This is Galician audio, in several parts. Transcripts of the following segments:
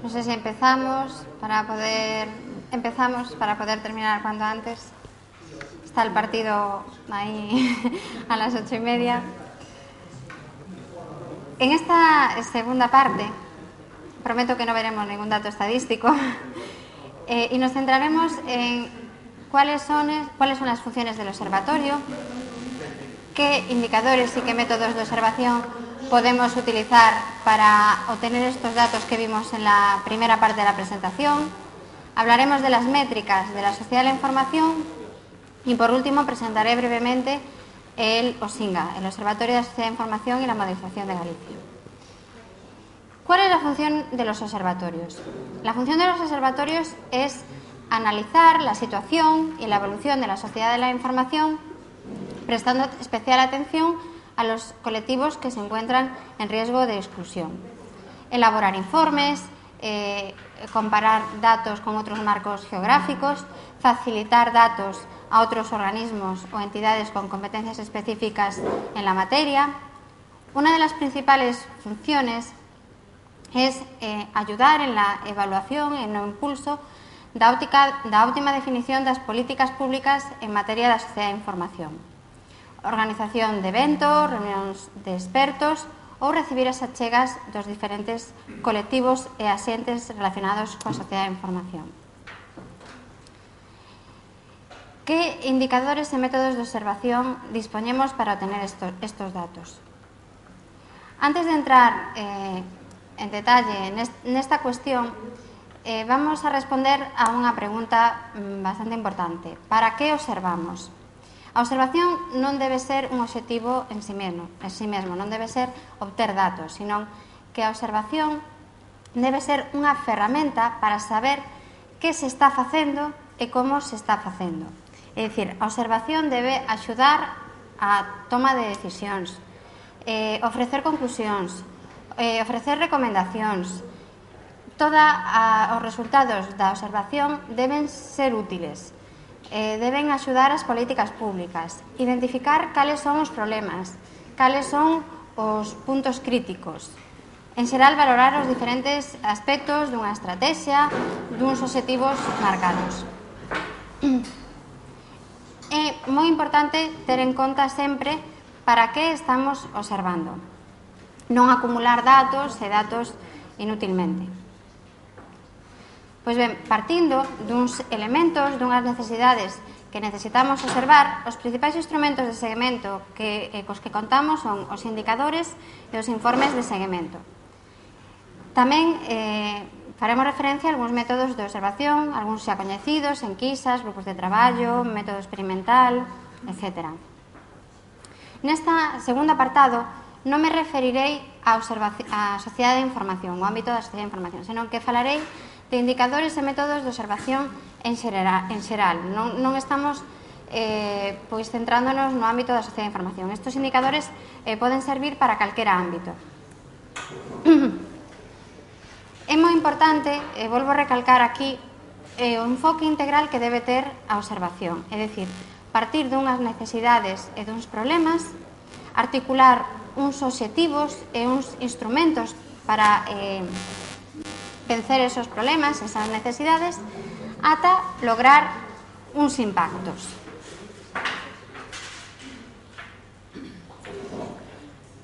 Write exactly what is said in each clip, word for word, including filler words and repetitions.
No sé si empezamos para poder empezamos para poder terminar cuanto antes. Está el partido ahí a las ocho y media. En esta segunda parte, prometo que no veremos ningún dato estadístico eh, y nos centraremos en cuáles son, cuáles son las funciones del observatorio, qué indicadores y qué métodos de observación podemos utilizar para obtener estos datos que vimos en la primera parte de la presentación. Hablaremos de las métricas de la sociedad de la información y, por último, presentaré brevemente el OSINGA, el Observatorio de la Sociedad de Información y la Modernización de Galicia. ¿Cuál es la función de los observatorios? La función de los observatorios es analizar la situación y la evolución de la sociedad de la información, prestando especial atención a los colectivos que se encuentran en riesgo de exclusión. Elaborar informes, eh, comparar datos con otros marcos geográficos, facilitar datos a otros organismos o entidades con competencias específicas en la materia. Una de las principales funciones es eh, ayudar en la evaluación e no impulso da, óptica, da óptima definición das políticas públicas en materia da sociedade de información. Organización de eventos, reunións de expertos ou recibir as achegas dos diferentes colectivos e axentes relacionados coa sociedade de información. Que indicadores e métodos de observación dispoñemos para obtener estos, estos datos? Antes de entrar eh, en detalle nesta cuestión, eh, vamos a responder a unha pregunta bastante importante. Para que observamos? A observación non debe ser un obxectivo en si mesmo, en si mesmo, non debe ser obter datos, sino que a observación debe ser unha ferramenta para saber que se está facendo e como se está facendo. É dicir, a observación debe axudar a toma de decisións, eh, ofrecer conclusións, eh, ofrecer recomendacións. Todos os resultados da observación deben ser útiles. Eh, deben axudar as políticas públicas, identificar cales son os problemas, cales son os puntos críticos. En xeral, valorar os diferentes aspectos dunha estrategia, duns obxectivos marcados. É moi importante ter en conta sempre para que estamos observando. Non acumular datos e datos inútilmente. Pois ben, partindo duns elementos, dunhas necesidades que necesitamos observar, os principais instrumentos de seguimento que, eh, cos que contamos son os indicadores e os informes de seguimento. Tamén eh, faremos referencia a algúns métodos de observación, algúns xa coñecidos, enquisas, grupos de traballo, método experimental, etcétera. Nesta segundo apartado, non me referirei á sociedade de información, ao ámbito da sociedade de información, senón que falarei de indicadores e métodos de observación en xeral. En xeral. Non, non estamos eh, pois centrándonos no ámbito da sociedade de información. Estos indicadores eh, poden servir para calquera ámbito. É moi importante, e volvo a recalcar aquí, eh, o enfoque integral que debe ter a observación. É dicir, partir dunhas necesidades e duns problemas, articular uns obxectivos e uns instrumentos para eh, vencer esos problemas, esas necesidades, ata lograr uns impactos.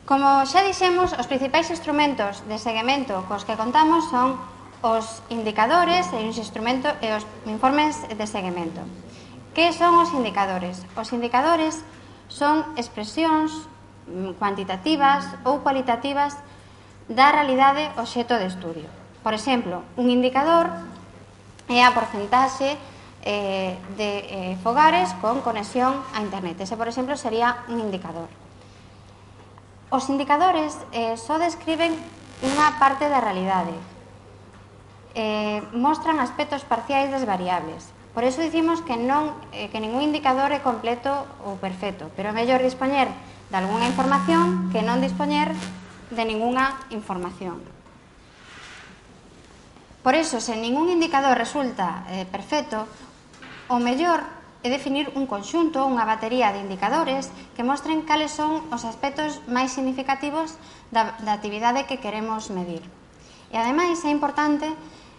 Como xa dixemos, os principais instrumentos de seguimento cos que contamos son os indicadores e os, instrumentos, e os informes de seguimento. Que son os indicadores? Os indicadores son expresións cuantitativas ou cualitativas da realidade obxecto de estudio. Por exemplo, un indicador é a porcentaxe eh, de eh, fogares con conexión a internet. Ese, por exemplo, sería un indicador. Os indicadores eh, só describen unha parte da realidade. Eh, mostran aspectos parciais das variables. Por iso dicimos que, non, eh, que ningún indicador é completo ou perfecto, pero é mellor dispoñer de algunha información que non dispoñer de ningunha información. Por iso, se ningún indicador resulta eh, perfecto, o mellor é definir un conxunto, unha batería de indicadores que mostren cales son os aspectos máis significativos da, da actividade que queremos medir. E, ademais, é importante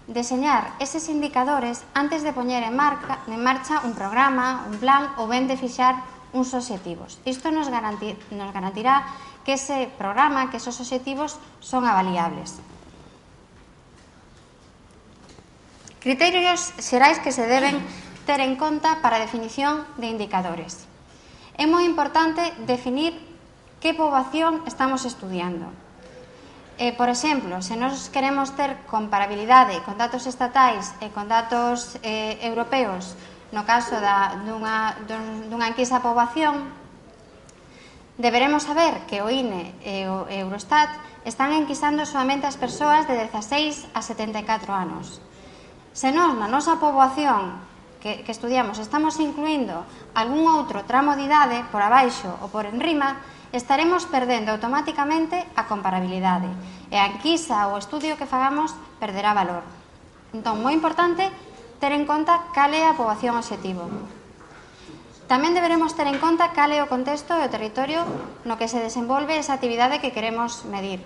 deseñar eses indicadores antes de poñer en, marca, en marcha un programa, un plan ou ben de fixar uns obxectivos. Isto nos, garantir, nos garantirá que ese programa, que esos obxectivos son avaliables. Criterios xerais que se deben ter en conta para a definición de indicadores. É moi importante definir que poboación estamos estudiando. Eh, por exemplo, se nós queremos ter comparabilidade con datos estatais e con datos eh, europeos, no caso da, dunha, dunha enquisa a poboación, deberemos saber que o I N E e o Eurostat están enquisando solamente as persoas de dezaseis a setenta e catro anos. Se nós, na nosa poboación que, que estudiamos, estamos incluindo algún outro tramo de idade por abaixo ou por enrima, estaremos perdendo automáticamente a comparabilidade e a enquisa ou estudio que fagamos perderá valor. Entón, moi importante ter en conta cal é a poboación obxectivo. Tamén deberemos ter en conta cal é o contexto e o territorio no que se desenvolve esa actividade que queremos medir.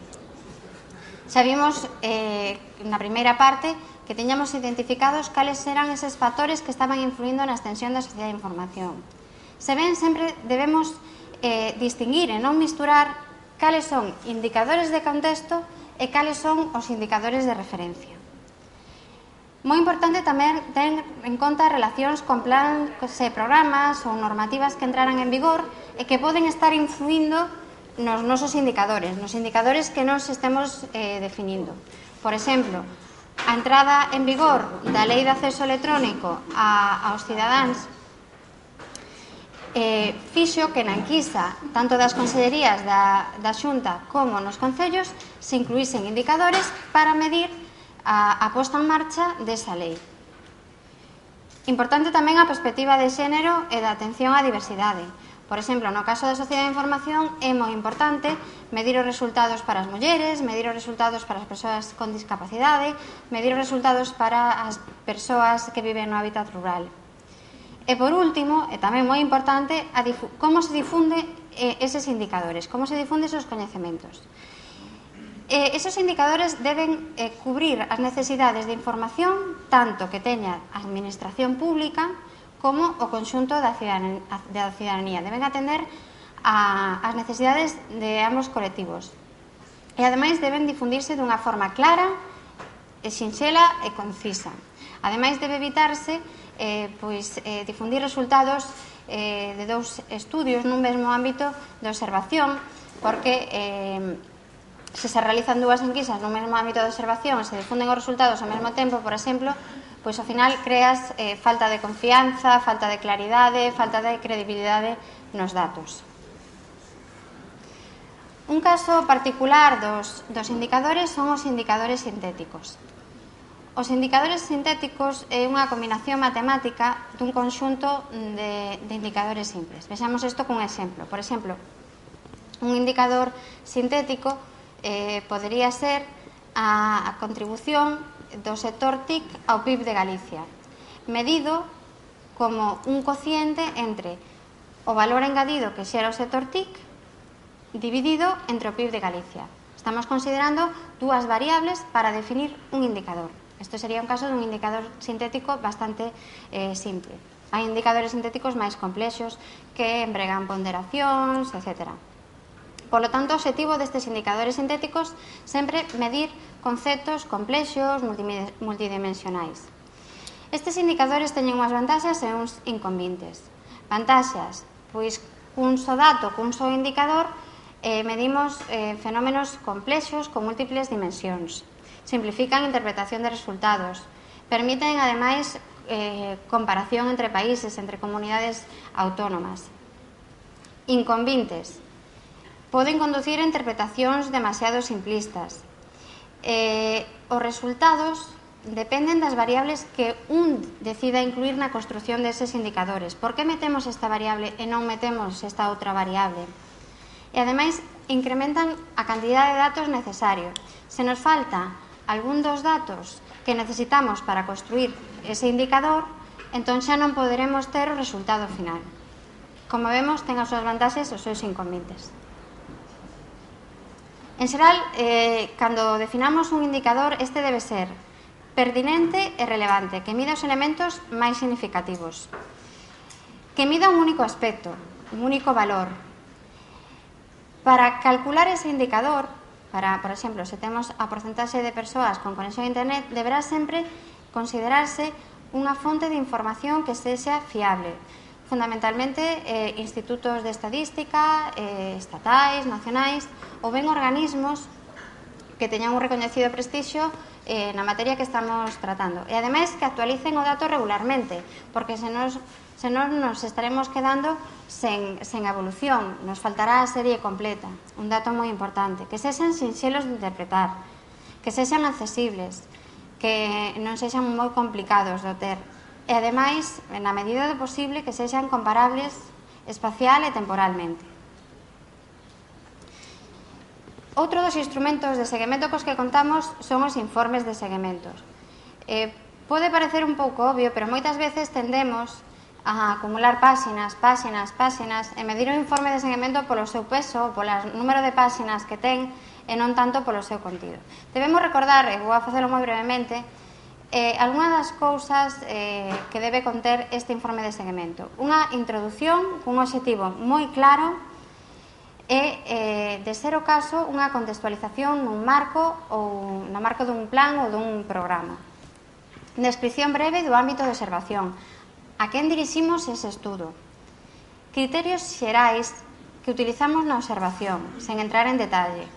Xa vimos eh, na primeira parte que teñamos identificados cales eran eses factores que estaban influindo na extensión da sociedade de información. Se ven, sempre debemos eh, distinguir e non misturar cales son indicadores de contexto e cales son os indicadores de referencia. Moi importante tamén ter en conta relacións con plans e programas ou normativas que entraran en vigor e que poden estar influindo nos nosos indicadores, nos indicadores que nos estemos eh, definindo. Por exemplo, a entrada en vigor da Lei de Acceso Electrónico a, aos cidadáns eh, fixo que na enquisa, tanto das consellerías da, da Xunta como nos concellos, se incluísen indicadores para medir a, a posta en marcha desa lei. Importante tamén a perspectiva de xénero e da atención á diversidade. Por exemplo, no caso da sociedade de información é moi importante medir os resultados para as mulleres, medir os resultados para as persoas con discapacidade, medir os resultados para as persoas que viven no hábitat rural. E, por último, e tamén moi importante, a como se difunde eh, eses indicadores, como se difunde esos coñecementos. Eh, esos indicadores deben eh, cubrir as necesidades de información tanto que teña a administración pública como o conxunto da cidadanía. Deben atender a, as necesidades de ambos colectivos. E, ademais, deben difundirse dunha forma clara, e sinxela e concisa. Ademais, debe evitarse eh, pois, eh, difundir resultados eh, de dous estudios nun mesmo ámbito de observación, porque eh, se se realizan dúas enquisas nun mesmo ámbito de observación e se difunden os resultados ao mesmo tempo, por exemplo, pois ao final creas eh, falta de confianza, falta de claridade, falta de credibilidade nos datos. Un caso particular dos, dos indicadores son os indicadores sintéticos. Os indicadores sintéticos é unha combinación matemática dun conxunto de, de indicadores simples. Vexamos isto cun exemplo. Por exemplo, un indicador sintético eh, podería ser a, a contribución do sector T I C ao P I B de Galicia, medido como un cociente entre o valor engadido que xera o sector T I C dividido entre o P I B de Galicia. Estamos considerando dúas variables para definir un indicador. Isto sería un caso dun indicador sintético bastante eh, simple. Hai indicadores sintéticos máis complexos que empregan ponderacións, etcétera. Por lo tanto, o objetivo destes indicadores sintéticos sempre medir conceptos complexos, multidimensionais. Estes indicadores teñen unhas vantaxas e uns inconvenientes. Vantaxas, pois cun só dato, cun só indicador, eh, medimos eh, fenómenos complexos con múltiples dimensións. Simplifican a interpretación de resultados, permiten, ademais, eh, comparación entre países, entre comunidades autónomas. Inconvenientes. Poden conducir a interpretacións demasiado simplistas. Eh, os resultados dependen das variables que un decida incluir na construción deses indicadores. Por que metemos esta variable e non metemos esta outra variable? E, ademais, incrementan a cantidade de datos necesario. Se nos falta algún dos datos que necesitamos para construir ese indicador, entón xa non poderemos ter o resultado final. Como vemos, ten as súas vantaxes e os seus inconvenientes. En xeral, eh, cando definamos un indicador, este debe ser pertinente e relevante, que mida os elementos máis significativos, que mida un único aspecto, un único valor. Para calcular ese indicador, para, por exemplo, se temos a porcentaxe de persoas con conexión a internet, deberá sempre considerarse unha fonte de información que sexa fiable, fundamentalmente eh, institutos de estadística, eh, estatais, nacionais, ou ben organismos que teñan un recoñecido prestixio eh, na materia que estamos tratando. E, ademais, que actualicen o dato regularmente, porque se nos, se non nos estaremos quedando sen, sen evolución, nos faltará a serie completa. Un dato moi importante, que sexan sinxelos de interpretar, que sexan accesibles, que non sexan moi complicados de ter. E, ademais, na medida do posible, que sexan comparables espacial e temporalmente. Outro dos instrumentos de seguimento cos que contamos son os informes de seguimentos. Eh, pode parecer un pouco obvio, pero moitas veces tendemos a acumular páxinas, páxinas, páxinas e medir o informe de seguimento polo seu peso, polo número de páxinas que ten e non tanto polo seu contido. Debemos recordar, e vou a facelo moi brevemente, eh, algunhas das cousas eh, que debe conter este informe de seguimento. Unha introdución cun obxectivo moi claro e, eh, de ser o caso, unha contextualización nun marco ou no marco dun plan ou dun programa. Descripción breve do ámbito de observación. A quen diriximos ese estudo? Criterios xerais que utilizamos na observación, sen entrar en detalle.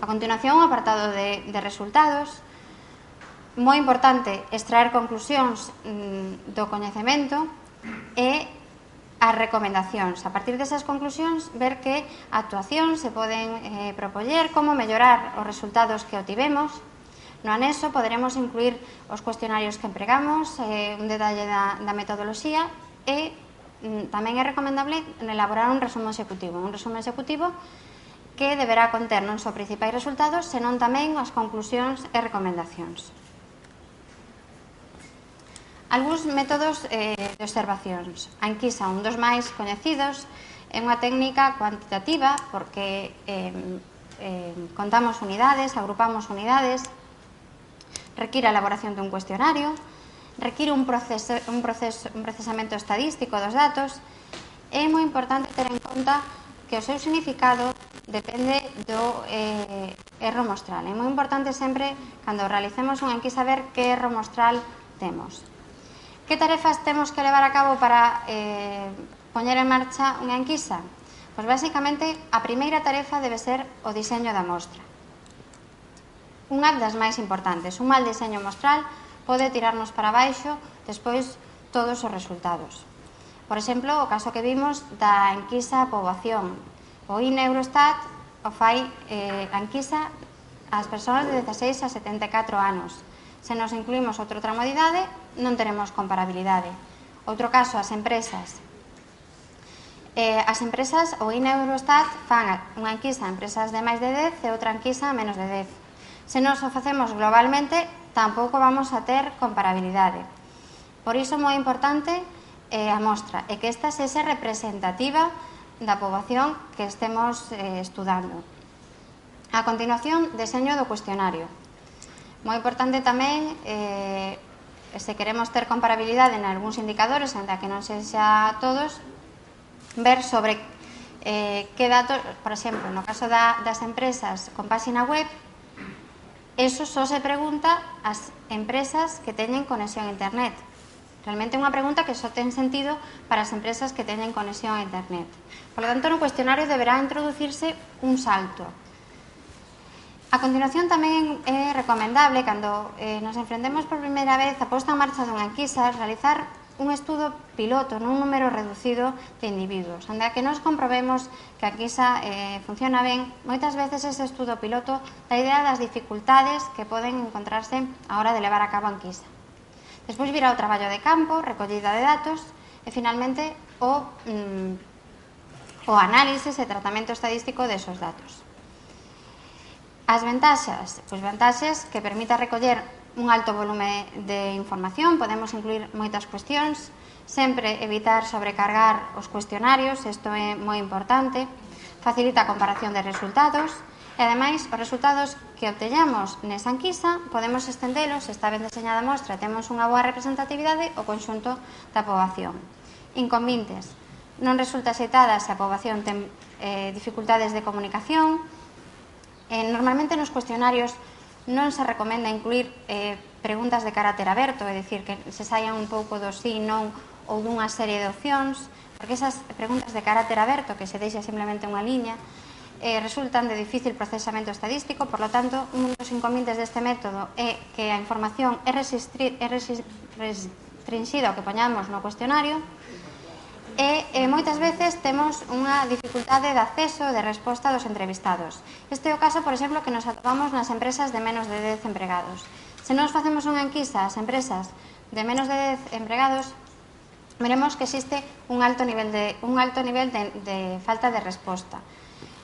A continuación, o apartado de, de resultados. Moi importante, extraer conclusións mm, do coñecemento e as recomendacións. A partir desas conclusións, ver que actuacións se poden eh, propoñer, como mellorar os resultados que obtivemos. No anexo poderemos incluir os cuestionarios que empregamos, eh, un detalle da, da metodoloxía e mm, tamén é recomendable elaborar un resumo executivo. Un resumo executivo que deberá conter non só principais resultados, senón tamén as conclusións e recomendacións. Algúns métodos eh, de observacións. A enquisa, un dos máis coñecidos, é unha técnica cuantitativa porque eh, eh, contamos unidades, agrupamos unidades, require a elaboración dun cuestionario, require un, proceso, un, proceso, un procesamento estadístico dos datos. É moi importante ter en conta que o seu significado depende do eh, erro mostral. É moi importante sempre, cando realicemos unha enquisa, ver que erro mostral temos. Que tarefas temos que levar a cabo para eh, poñer en marcha unha enquisa? Pois, basicamente, a primeira tarefa debe ser o diseño da mostra. Unha das máis importantes. Un mal diseño mostral pode tirarnos para baixo despois todos os resultados. Por exemplo, o caso que vimos da enquisa a poboación. O I N E Eurostat o fai eh, a enquisa ás persoas de dezaseis a setenta e catro anos. Se nos incluímos outra tramo de idade, non teremos comparabilidade. Outro caso, as empresas. Eh, as empresas, o I N E Eurostat fan unha enquisa a empresas de máis de dez e outra enquisa a menos de dez. Se nos o facemos globalmente, tampouco vamos a ter comparabilidade. Por iso é moi importante eh, a mostra e que esta sexa representativa da poboación que estemos eh, estudando. A continuación, deseño do cuestionario. Moi importante tamén, eh, se queremos ter comparabilidade en algúns indicadores, ainda que non sexa todos, ver sobre eh, que datos, por exemplo, no caso da, das empresas con páxina web, eso só se pregunta ás empresas que teñen conexión a internet. Realmente é unha pregunta que só ten sentido para as empresas que teñen conexión a internet. Por lo tanto, no cuestionario deberá introducirse un salto. A continuación, tamén é recomendable, cando eh, nos enfrentemos por primeira vez a posta en marcha dunha enquisa, realizar un estudo piloto nun número reducido de individuos, onde a que nos comprobemos que a enquisa eh, funciona ben. Moitas veces ese estudo piloto dá idea das dificultades que poden encontrarse a hora de levar a cabo a enquisa. Despois virá o traballo de campo, recollida de datos e, finalmente, o, mm, o análisis e tratamento estadístico desos datos. As ventaxas, pois vantaxes que permita recoller un alto volume de información, podemos incluir moitas cuestións, sempre evitar sobrecargar os cuestionarios, isto é moi importante, facilita a comparación de resultados E, ademais, os resultados que obteñamos nesa enquisa podemos estendelos, se está ben deseñada a mostra, temos unha boa representatividade ao conxunto da poboación. Inconvintes. Non resulta aceitada se a poboación ten eh, dificultades de comunicación. Eh, normalmente nos cuestionarios non se recomenda incluir eh, preguntas de carácter aberto, é dicir, que se saian un pouco do sí, non ou dunha serie de opcións, porque esas preguntas de carácter aberto, que se deixa simplemente unha liña, eh, resultan de difícil procesamento estadístico. Por lo tanto, un dos inconvenientes deste método é que a información é, é restringida ao que poñamos no cuestionario, e eh, moitas veces temos unha dificultade de acceso de resposta dos entrevistados. Este é o caso, por exemplo, que nos atopamos nas empresas de menos de dez empregados. Se nos facemos unha enquisa ás empresas de menos de dez empregados, veremos que existe un alto nivel de, un alto nivel de, de falta de resposta.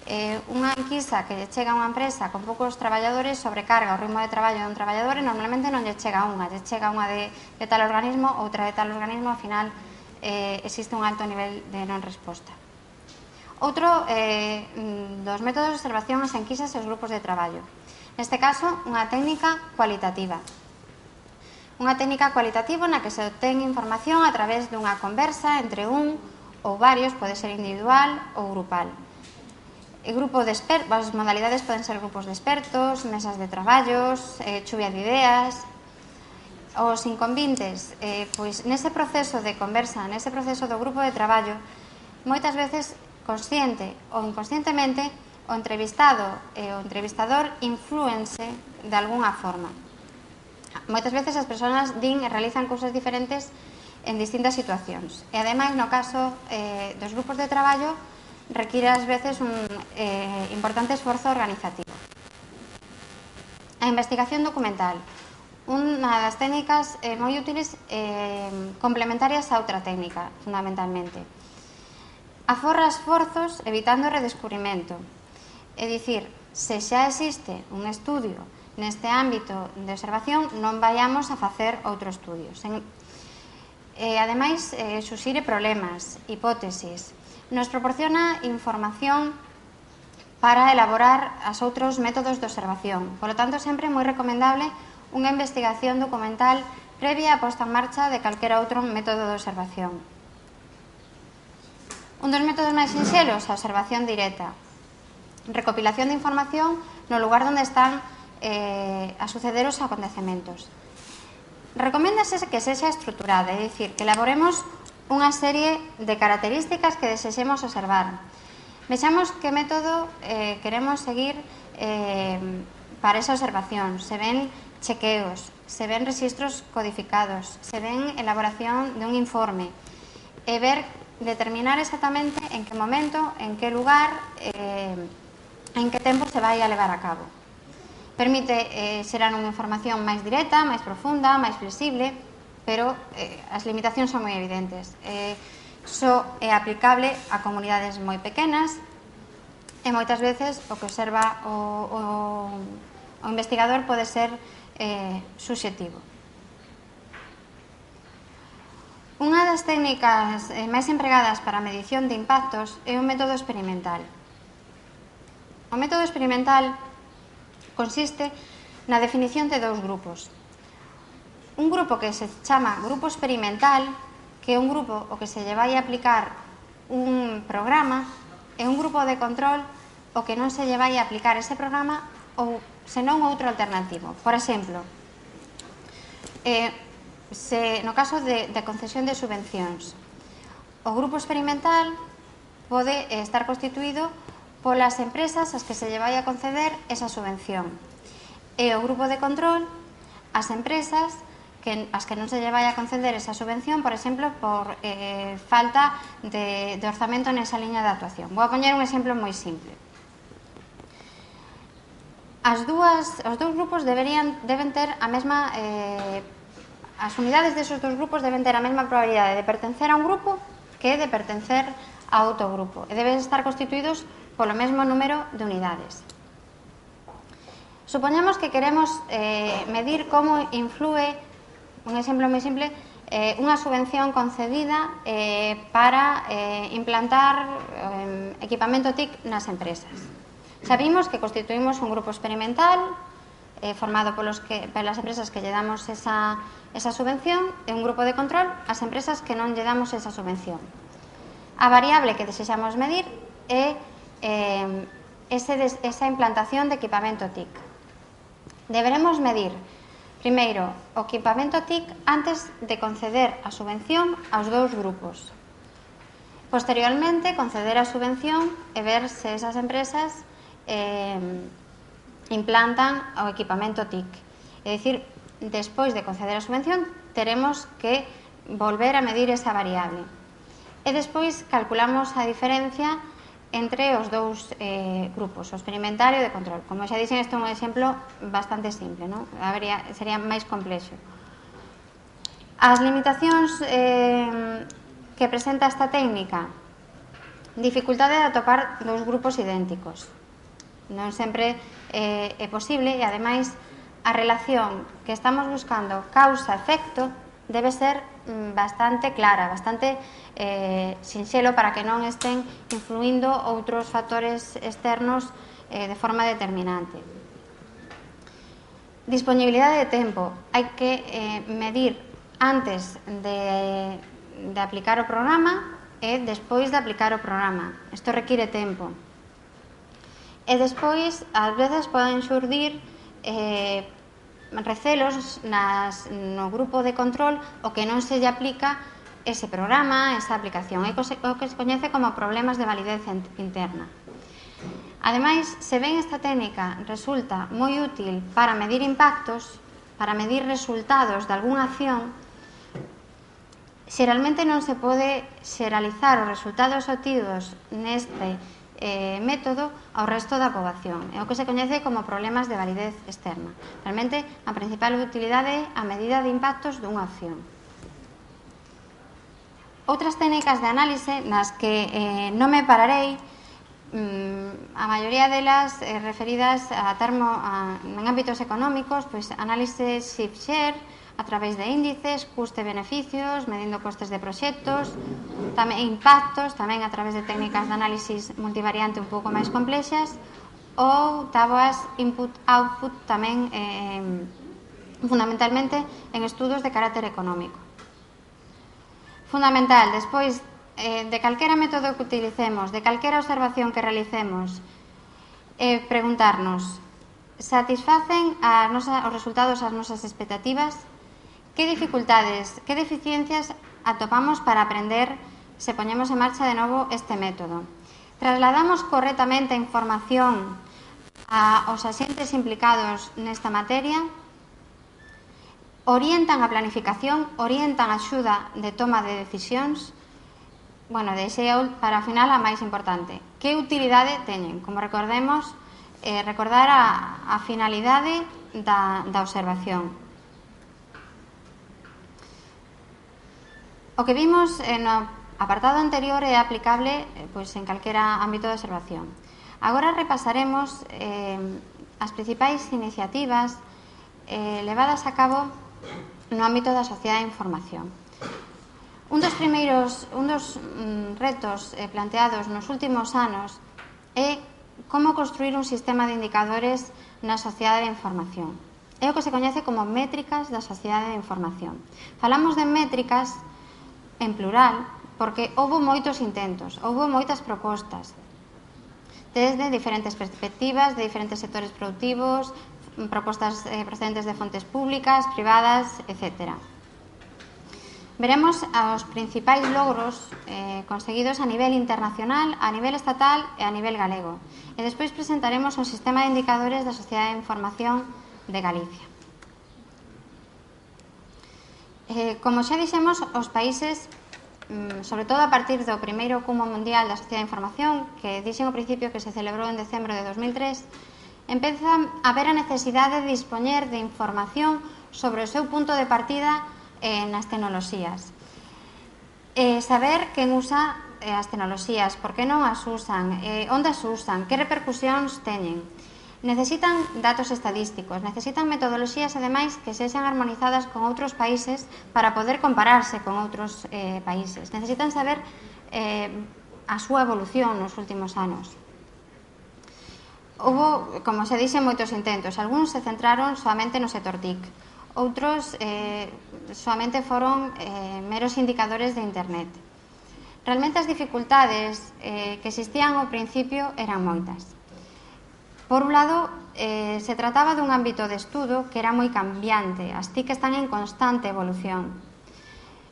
Eh, unha enquisa que lle chega a unha empresa con poucos traballadores sobrecarga o ritmo de traballo dun traballador e normalmente non lle chega unha, lle chega unha de, de tal organismo, outra de tal organismo, ao final Eh, existe un alto nivel de non resposta. Outro eh, dos métodos de observación as enquisas e os grupos de traballo. Neste caso, unha técnica cualitativa. Unha técnica cualitativa na que se obtén información a través dunha conversa entre un ou varios, pode ser individual ou grupal. E grupo de expertos, as modalidades poden ser grupos de expertos, mesas de traballos, eh, chuvia de ideas. Os inconvintes, eh, pois nese proceso de conversa, nese proceso do grupo de traballo, moitas veces consciente ou inconscientemente o entrevistado e o entrevistador inflúense de algunha forma. Moitas veces as persoas din e realizan cousas diferentes en distintas situacións. E ademais, no caso eh, dos grupos de traballo, require ás veces un eh, importante esforzo organizativo. A investigación documental. Unha das técnicas eh, moi útiles eh, complementarias a outra técnica, fundamentalmente. Aforra esforzos evitando o redescubrimento. É dicir, se xa existe un estudio neste ámbito de observación, non vayamos a facer outro estudio. Sen, eh, ademais, eh, suxire problemas, hipótesis. Nos proporciona información para elaborar as outros métodos de observación. Por lo tanto, sempre é moi recomendable unha investigación documental previa a posta en marcha de calquera outro método de observación. Un dos métodos máis sinxelos, a observación directa. Recopilación de información no lugar onde están eh, a suceder os acontecementos. Recoméndase que sexa estruturada, é dicir, que elaboremos unha serie de características que desexemos observar. Vexamos que método eh, queremos seguir eh, para esa observación. Se ven chequeos, se ven registros codificados, se ven elaboración de un informe, e ver, determinar exactamente en que momento, en que lugar, eh, en que tempo se vai a levar a cabo. Permite eh, xerar unha información máis directa, máis profunda, máis flexible, pero eh, as limitacións son moi evidentes. Eh, só é aplicable a comunidades moi pequenas e moitas veces o que observa o, o, o investigador pode ser Eh, subxetivo. Unha das técnicas eh, máis empregadas para a medición de impactos é o método experimental. O método experimental consiste na definición de dous grupos. Un grupo que se chama grupo experimental, que é un grupo o que se lle vai a aplicar un programa, e un grupo de control o que non se lle vai a aplicar ese programa ou senón outro alternativo. Por exemplo, eh, se, no caso de, de concesión de subvencións, o grupo experimental pode estar constituído polas empresas ás que se lle vai a conceder esa subvención, e o grupo de control as empresas que, as que non se lle vai a conceder esa subvención, por exemplo, por eh, falta de, de orzamento nesa liña de actuación. Vou a poñer un exemplo moi simple. As dúas, os dous grupos deberían, deben ter a mesma eh, as unidades desos dous grupos deben ter a mesma probabilidade de pertencer a un grupo que de pertencer a outro grupo, e deben estar constituídos polo mesmo número de unidades. Supoñemos que queremos eh, medir como influe, un exemplo moi simple, eh, unha subvención concedida eh, para eh, implantar eh, equipamento T I C nas empresas. Xa vimos que constituímos un grupo experimental eh, formado polos que, pelas empresas que lle damos esa, esa subvención e un grupo de control ás empresas que non lle damos esa subvención. A variable que desexamos medir é eh, ese des, esa implantación de equipamento T I C. Deberemos medir, primeiro, o equipamento T I C antes de conceder a subvención aos dous grupos. Posteriormente, conceder a subvención e ver se esas empresas eh, implantan o equipamento T I C. É dicir, despois de conceder a subvención, teremos que volver a medir esa variable. E despois calculamos a diferencia entre os dous eh, grupos, o experimental e o de control. Como xa dixen, isto é un exemplo bastante simple, non? Habería, sería máis complexo. As limitacións eh, que presenta esta técnica: dificultade de atopar dous grupos idénticos. Non sempre eh, é posible e, ademais, a relación que estamos buscando causa-efecto debe ser bastante clara, bastante eh, sinxelo para que non estén influindo outros factores externos eh, de forma determinante. Disponibilidade de tempo. Hai que eh, medir antes de, de aplicar o programa e despois de aplicar o programa. Isto require tempo. E despois, ás veces, poden xurdir eh, recelos nas, no grupo de control o que non se lle aplica ese programa, esa aplicación. É o que se coñece como problemas de validez interna. Ademais, se ben esta técnica resulta moi útil para medir impactos, para medir resultados de algunha acción, xeralmente non se pode xeralizar os resultados obtidos neste Eh, método ao resto da poboación. É o que se coñece como problemas de validez externa. Realmente, a principal utilidade é a medida de impactos dunha acción. Outras técnicas de análise nas que eh, non me pararei, mm, a maioría delas eh, referidas a termo a, en ámbitos económicos, pois análise shift-share a través de índices, custe-beneficios, medindo costes de proxectos, tamén impactos, tamén a través de técnicas de análisis multivariante un pouco máis complexas, ou táboas input-output tamén eh, fundamentalmente en estudos de carácter económico. Fundamental, despois eh, de calquera método que utilicemos, de calquera observación que realicemos, eh, preguntarnos: satisfacen a nosa, os resultados ás nosas expectativas? Que dificultades, que deficiencias atopamos para aprender se poñemos en marcha de novo este método? Trasladamos correctamente a información aos axentes implicados nesta materia? Orientan a planificación? Orientan a axuda de toma de decisións? Bueno, deixei para a final a máis importante. Que utilidade teñen? Como recordemos, eh, recordar a, a finalidade da, da observación. O que vimos no apartado anterior é aplicable pois, en calquera ámbito de observación. Agora repasaremos eh, as principais iniciativas eh, levadas a cabo no ámbito da sociedade de información. Un dos primeiros, un dos mm, retos eh, planteados nos últimos anos é como construir un sistema de indicadores na sociedade de información. É o que se coñece como métricas da sociedade de información. Falamos de métricas en plural, porque houve moitos intentos, houve moitas propostas, desde diferentes perspectivas, de diferentes sectores productivos, propostas eh, procedentes de fontes públicas, privadas, etcétera. Veremos os principais logros eh, conseguidos a nivel internacional, a nivel estatal e a nivel galego. E despois presentaremos un sistema de indicadores da Sociedade de Información de Galicia. Eh, como xa dixemos, os países, sobre todo a partir do primeiro Cumo Mundial da Sociedade de Información, que dixen ao principio que se celebrou en decembro de dos mil tres, empeza a haber a necesidade de dispoñer de información sobre o seu punto de partida eh, nas tecnoloxías. Eh, saber quen usa eh, as tecnoloxías, por que non as usan, eh, onde as usan, que repercusións teñen. Necesitan datos estadísticos, necesitan metodoloxías, ademais, que sexan armonizadas con outros países para poder compararse con outros eh, países. Necesitan saber eh, a súa evolución nos últimos anos. Houbo, como se dixe, moitos intentos. Algúns se centraron soamente no sector T I C. Outros eh, soamente foron eh, meros indicadores de Internet. Realmente as dificultades eh, que existían ao principio eran moitas. Por un lado, eh, se trataba dun ámbito de estudo que era moi cambiante. As T I C están en constante evolución.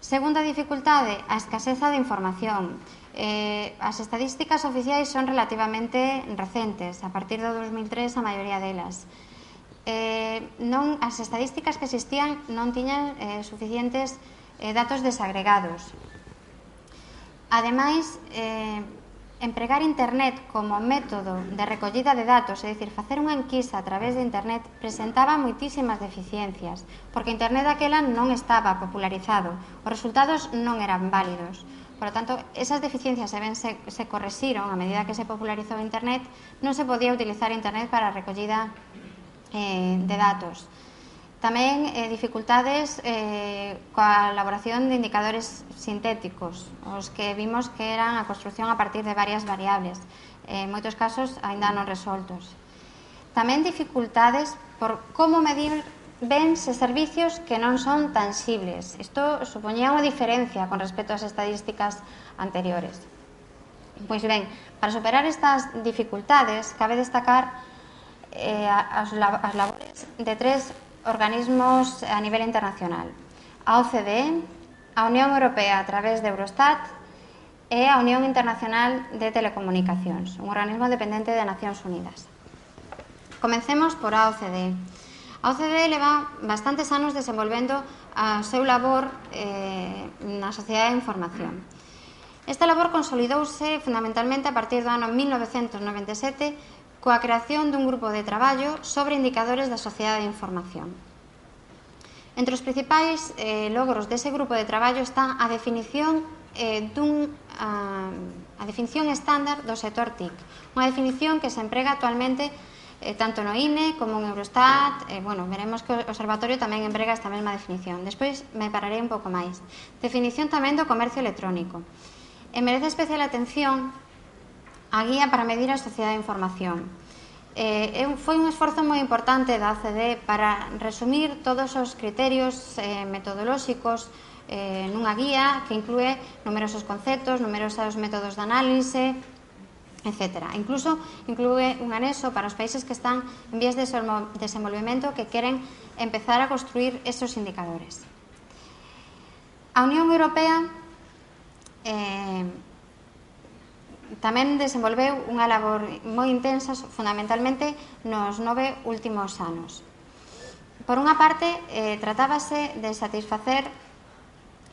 Segunda dificultade, a escaseza de información. Eh, as estadísticas oficiais son relativamente recentes, a partir do dos mil tres a maioría delas. Eh, non, as estadísticas que existían non tiñan eh, suficientes eh, datos desagregados. Ademais, eh, empregar Internet como método de recollida de datos, é dicir, facer unha enquisa a través de Internet, presentaba moitísimas deficiencias, porque Internet daquela non estaba popularizado, os resultados non eran válidos. Por lo tanto, esas deficiencias se, ven, se, se correxiron a medida que se popularizou Internet, non se podía utilizar Internet para a recollida eh, de datos. Tamén eh, dificultades eh, coa elaboración de indicadores sintéticos, os que vimos que eran a construción a partir de varias variables, eh, en moitos casos aínda non resoltos. Tamén dificultades por como medir bens e servicios que non son tangibles. Isto supoñía unha diferencia con respecto ás estadísticas anteriores. Pois ben, para superar estas dificultades, cabe destacar eh, as, as labores de tres organismos a nivel internacional. A O C D E, a Unión Europea a través de Eurostat e a Unión Internacional de Telecomunicacións, un organismo dependente de Nacións Unidas. Comencemos por a O C D E. A O C D E leva bastantes anos desenvolvendo a seu labor eh, na sociedade de información. Esta labor consolidouse fundamentalmente a partir do ano mil novecentos noventa e sete coa creación dun grupo de traballo sobre indicadores da sociedade de información. Entre os principais eh, logros dese grupo de traballo está a definición eh, dun, a, a definición estándar do sector T I C, unha definición que se emprega actualmente Eh, tanto no I N E como en Eurostat. eh, bueno, veremos que o Observatorio tamén emprega esta mesma definición. Despois me pararei un pouco máis. Definición tamén do comercio electrónico. E merece especial atención a guía para medir a sociedade de información. Eh, foi un esforzo moi importante da O C D E para resumir todos os criterios eh, metodolóxicos eh, nunha guía que inclúe numerosos conceptos, numerosos métodos de análise, etcétera. Incluso inclúe un anexo para os países que están en vías de desenvolvemento que queren empezar a construir esos indicadores. A Unión Europea eh, tamén desenvolveu unha labor moi intensa, fundamentalmente nos nove últimos anos. Por unha parte, eh, tratábase de satisfacer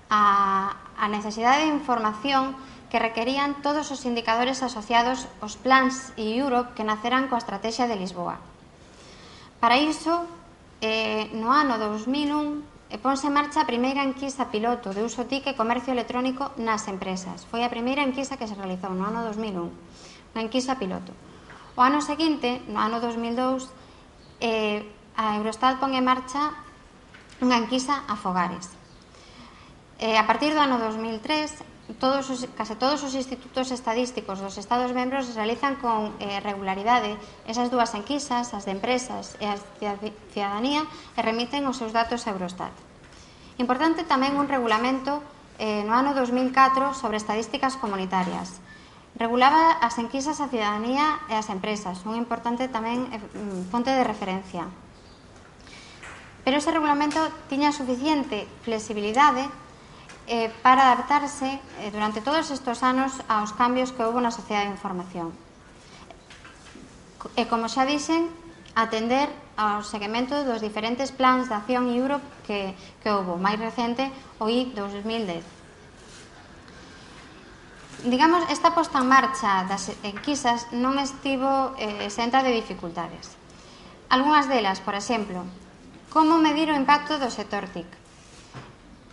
a, a necesidade de información que requerían todos os indicadores asociados aos plans e Europe que naceran coa Estrategia de Lisboa. Para iso, eh, no ano dos mil un, eh, ponse en marcha a primeira enquisa piloto de uso T I C e comercio electrónico nas empresas. Foi a primeira enquisa que se realizou no ano dos mil un, unha enquisa piloto. O ano seguinte, no ano dos mil dous, eh, a Eurostat pon en marcha unha enquisa a fogares. Eh, a partir do ano dos mil tres, Todos os, case todos os institutos estadísticos dos Estados membros realizan con eh, regularidade esas dúas enquisas, as de empresas e as de cidadanía, e remiten os seus datos a Eurostat. Importante tamén un regulamento eh, no ano dos mil catro sobre estadísticas comunitarias. Regulaba as enquisas a cidadanía e as empresas, unha importante tamén eh, fonte de referencia. Pero ese regulamento tiña suficiente flexibilidade Eh, para adaptarse eh, durante todos estes anos aos cambios que houve na sociedade de información. E, como xa dixen, atender ao seguimento dos diferentes plans de acción Europe que, que houve. Máis recente, o I dos mil dez. Digamos, esta posta en marcha das enquisas non estivo eh, exenta de dificultades. Algúnas delas, por exemplo, como medir o impacto do sector T I C?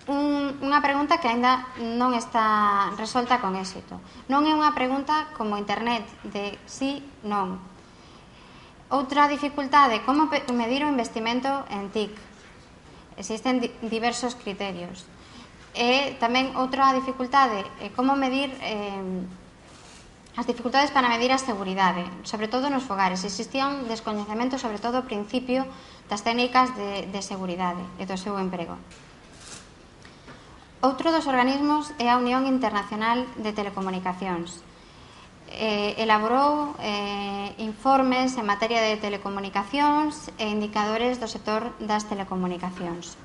Un, unha pregunta que aínda non está resolta con éxito. Non é unha pregunta como Internet, de sí, non. Outra dificultade, como medir o investimento en T I C? Existen di diversos criterios. E tamén outra dificultade é como medir eh, As dificultades para medir a seguridade, sobre todo nos fogares. Existía un descoñecemento, sobre todo ao principio, das técnicas de, de seguridade e do seu emprego. Outro dos organismos é a Unión Internacional de Telecomunicacións. Eh, elaborou eh, informes en materia de telecomunicacións e indicadores do sector das telecomunicacións.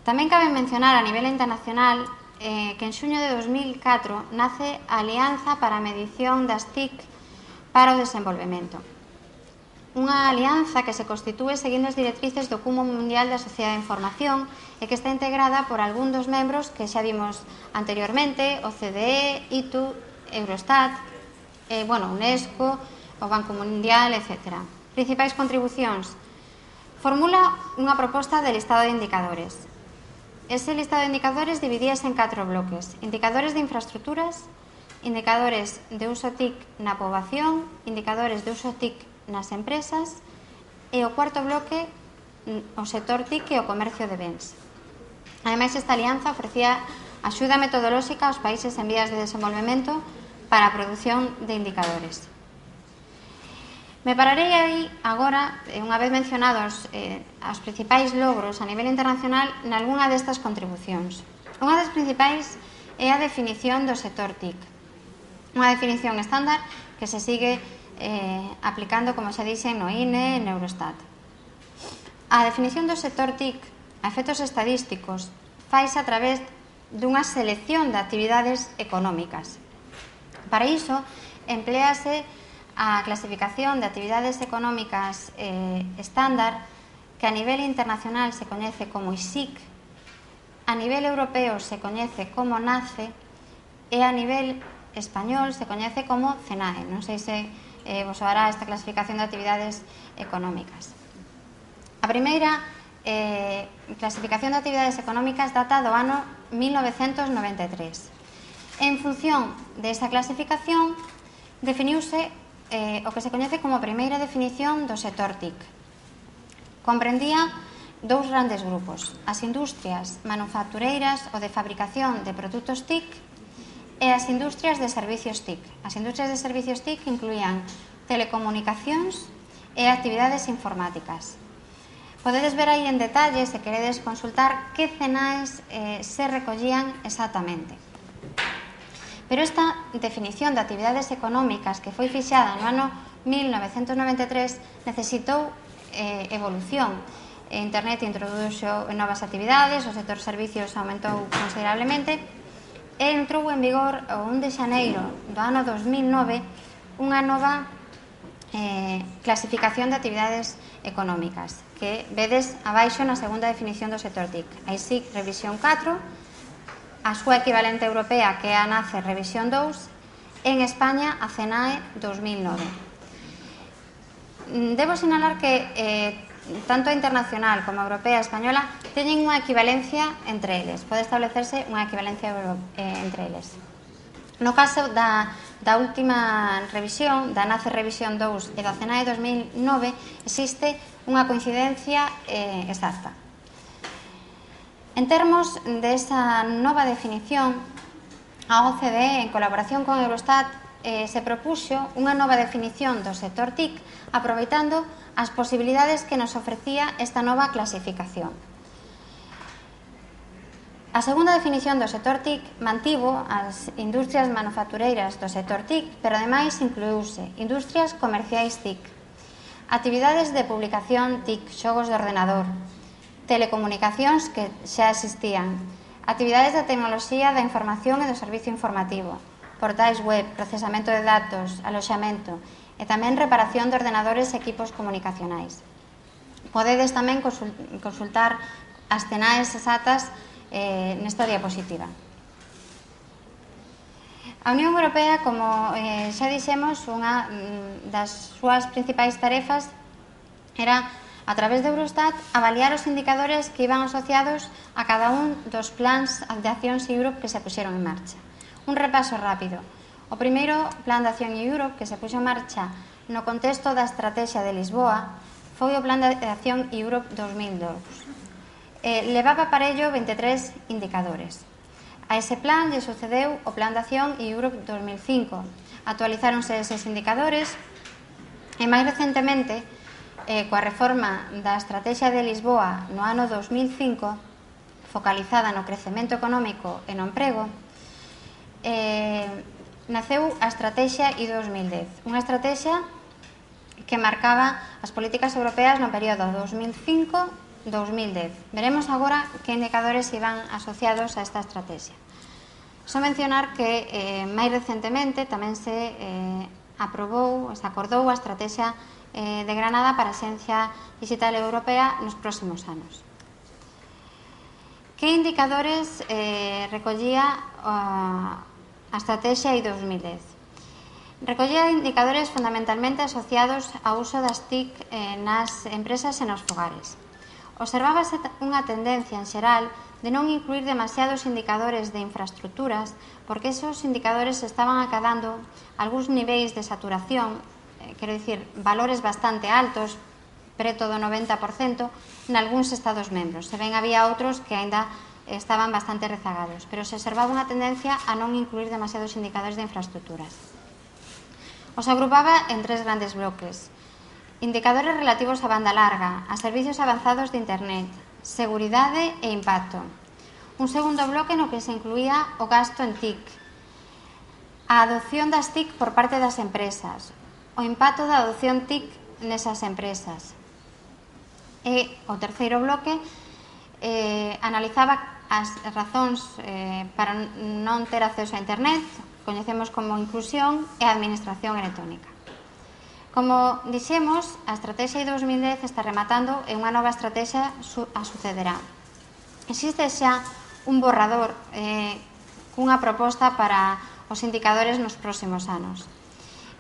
Tamén cabe mencionar a nivel internacional eh, que en xuño de dos mil catro nace a Alianza para a Medición das T I C para o Desenvolvemento. Unha alianza que se constitúe seguindo as directrices do Cumo Mundial da Sociedade de Información e que está integrada por algún dos membros que xa vimos anteriormente, o C D E, I T U, Eurostat, eh, bueno, UNESCO, o Banco Mundial, etcétera. Principais contribucións. Formula unha proposta de listado de indicadores. Ese listado de indicadores dividíase en catro bloques. Indicadores de infraestructuras, indicadores de uso T I C na poboación, indicadores de uso T I C nas empresas e o cuarto bloque o sector T I C e o comercio de bens. Ademais, esta alianza ofrecía axuda metodolóxica aos países en vías de desenvolvemento para a produción de indicadores. Me pararei aí agora, unha vez mencionados eh, os principais logros a nivel internacional, nalgúna destas contribucións. Unha das principais é a definición do sector T I C. Unha definición estándar que se sigue eh, aplicando, como xa dixen, no I N E e no Eurostat. A definición do sector T I C a efectos estadísticos faise a través dunha selección de actividades económicas. Para iso, emplease a clasificación de actividades económicas eh, estándar que a nivel internacional se coñece como I S I C, a nivel europeo se coñece como NACE e a nivel español se coñece como CENAE. Non sei se eh, vos soará esta clasificación de actividades económicas. A primeira eh, clasificación de actividades económicas data do ano mil novecentos noventa e tres. En función desa clasificación, definiuse eh, o que se coñece como a primeira definición do sector T I C. Comprendía dous grandes grupos, as industrias manufactureiras ou de fabricación de produtos T I C e as industrias de servicios T I C. As industrias de servicios T I C incluían telecomunicacións e actividades informáticas. Podedes ver aí en detalle, se queredes consultar, que CENAEs eh, se recollían exactamente. Pero esta definición de actividades económicas que foi fixada no ano mil novecentos noventa e tres necesitou eh, evolución. Internet introduxo novas actividades, o sector servicios aumentou considerablemente e entrou en vigor o un de xaneiro do ano dos mil nove unha nova eh, clasificación de actividades económicas que vedes abaixo na segunda definición do sector T I C. A I S I C revisión catro, a súa equivalente europea que é a NACE revisión dous, en España a CENAE dos mil nove. Debo sinalar que eh, tanto a internacional como a europea e española teñen unha equivalencia entre eles, pode establecerse unha equivalencia eh, entre eles. No caso da, da última revisión, da NACE revisión dous e da CENAE dos mil nove, existe unha coincidencia eh, exacta. En termos desa nova definición, a O C D E, en colaboración con Eurostat, eh, se propuxo unha nova definición do sector T I C aproveitando as posibilidades que nos ofrecía esta nova clasificación. A segunda definición do sector T I C mantivo as industrias manufactureiras do sector T I C, pero ademais incluíuse industrias comerciais T I C, actividades de publicación T I C, xogos de ordenador, telecomunicacións que xa existían, actividades da tecnoloxía da información e do servicio informativo, portais web, procesamento de datos, aloxamento e tamén reparación de ordenadores e equipos comunicacionais. Podedes tamén consultar as CENAEs exactas eh, nesta diapositiva. A Unión Europea, como eh, xa dixemos, unha das súas principais tarefas era, a través de Eurostat, avaliar os indicadores que iban asociados a cada un dos plans de accións Europe que se puxeron en marcha. Un repaso rápido. O primeiro plan de acción Europe que se puxo en marcha no contexto da estrategia de Lisboa foi o plan de acción Europe dos mil dous. Eh, levaba para ello veintitrés indicadores. A ese plan lle sucedeu o Plan de Acción Europe dos mil cinco. Actualizáronse eses indicadores e máis recentemente, eh, coa reforma da Estrategia de Lisboa no ano dos mil cinco, focalizada no crecemento económico e no emprego, eh, naceu a Estrategia I dos mil dez, unha estrategia que marcaba as políticas europeas no período dos mil cinco a dos mil dez. Veremos agora que indicadores iban asociados a esta estrategia. Só mencionar que eh, máis recentemente tamén se eh, aprobou, se acordou a estrategia eh, de Granada para a Xencia Digital Europea nos próximos anos. Que indicadores eh, recollía a, a estrategia I dos mil dez? Recollía indicadores fundamentalmente asociados ao uso das T I C eh, nas empresas e nos fogares. Observábase unha tendencia en xeral de non incluir demasiados indicadores de infraestructuras porque esos indicadores estaban acadando algúns niveis de saturación, eh, quero dicir, valores bastante altos, preto do noventa por cento, en algúns Estados membros. Se ben había outros que aínda estaban bastante rezagados, pero se observaba unha tendencia a non incluir demasiados indicadores de infraestructuras. Os agrupaba en tres grandes bloques. Indicadores relativos a banda larga, a servicios avanzados de Internet, seguridade e impacto. Un segundo bloque no que se incluía o gasto en T I C, a adopción das T I C por parte das empresas, o impacto da adopción T I C nesas empresas. E o terceiro bloque eh, analizaba as razóns eh, para non ter acceso a Internet, coñecemos como inclusión e administración electrónica. Como dixemos, a estrategia I dos mil dez está rematando e unha nova estrategia a sucederá. Existe xa un borrador eh, cunha proposta para os indicadores nos próximos anos.